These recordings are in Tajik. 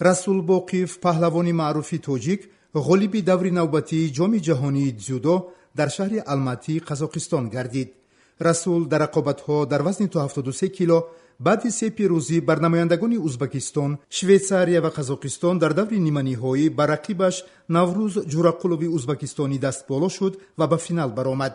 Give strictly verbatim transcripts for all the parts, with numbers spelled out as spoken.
Расул Боқиев, паҳлавони маъруфи тоҷик, ғолиби даври навбатии Ҷоми ҷаҳонии дзюдо дар шаҳри Алматии Қазоқистон гардид. Расул дар рақобатҳо дар вазни то ҳафтоду се кило баъди се пирӯзӣ бар намояндагони Узбакистон, Швейтсария ва Қазоқистон дар даври ниманиҳоӣ ба рақибаш Наврӯз Ҷурақулови узбакистонӣ дастболо шуд ва ба финал баромад.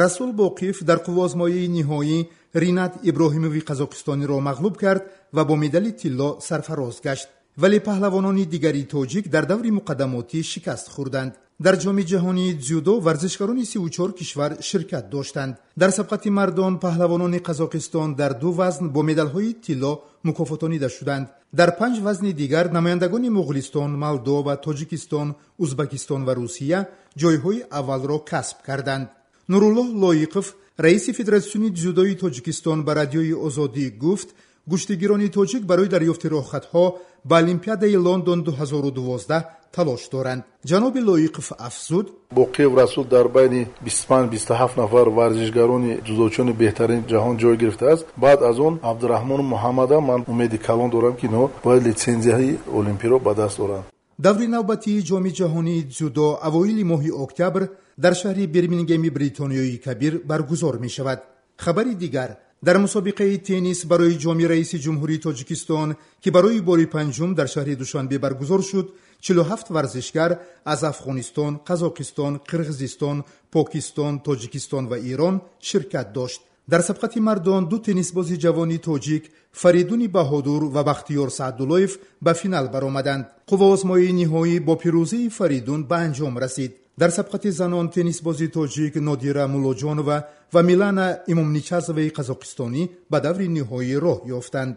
Расул Боқиев дар қувваозмоии ниҳоӣ Ринат Иброҳимови қазоқистониро мағлуб кард ва бо медали тилло сарфароз гашт. Вале паҳлавонони дигари тоҷик дар даври муқаддамотӣ шикаст хӯрданд. Дар Ҷоми ҷаҳонии дзюдо варзишгарони сиву чор кишвар ширкат доштанд. Дар сабқати мардон паҳлавонони Қазоқистон дар ду вазн бо медалҳои тилло мукофотонида шуданд. Дар панҷ вазни дигар намояндагони Муғулистон, Молдова, Тоҷикистон, Узбакистон ва Русия ҷойҳои аввалро касб карданд. Нуруллоҳ Лоиқов, раиси Федератсиони дзюдои Тоҷикистон, ба Радиои Озодӣ гуфт, гӯштигирони тоҷик барои дарёфти роҳхатҳо ба Олимпиадаи Лондон ду ҳазору дувоздаҳ талош доранд. Ҷаноби Лоиқов афзуд: Боқиев Расул дар байни бисту панҷ, бисту ҳафт нафар варзишгарони дзюдочиёни беҳтарини ҷаҳон ҷой гирифтааст. Баъд аз он Абдураҳмону Муҳаммадам ман умеди калон дорам, ки инҳо бояд литсензияи олимпиро ба даст оранд. Даври навбатии Ҷоми ҷаҳонии дзюдо авоили моҳи октябр дар шаҳри Бирмингеми Бритониёи Кабир баргузор мешавад. Хабари дигар: дар мусобиқаи теннис барои Ҷоми раиси Ҷумҳурии Тоҷикистон, ки барои бори панҷум дар шаҳри Душанбе баргузор шуд, чилу ҳафт варзишгар аз Афғонистон, Қазоқистон, Қирғизистон, Покистон, Тоҷикистон ва Эрон ширкат дошт. Дар сабқати мардон ду теннисбози ҷавони тоҷик Фаридуни Баҳодур ва Бахтиёр Саъдуллоев ба финал баромаданд. Қувваозмоии ниҳоӣ бо пирӯзии Фаридун ба анҷом расид. Дар сабқати занон теннисбози тоҷик Нодира Муллоҷонова ва Милана Имомничазоваи қазоқистонӣ ба даври ниҳоӣ роҳ ёфтанд.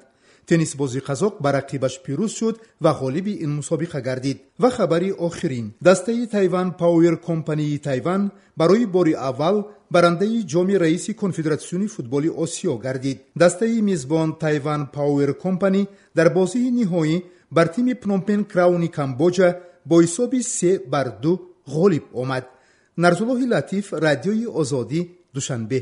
Теннисбози қазоқ ба рақибаш пирӯз шуд ва ғолиби ин мусобиқа гардид. Ва хабари охирин: дастаи Тайван Пауэр Компании Тайван барои бори аввал барандаи Ҷоми раиси Конфедератсиони футболи Осиё гардид. Дастаи мизбон Тайван Пауэр Компани дар бозии ниҳоӣ бар тими Пномпен Крауни Камбоҷа бо ҳисоби се бар ду ғолиб омад. Нарзуллоҳи Латиф, Радиои Озодӣ, Душанбе.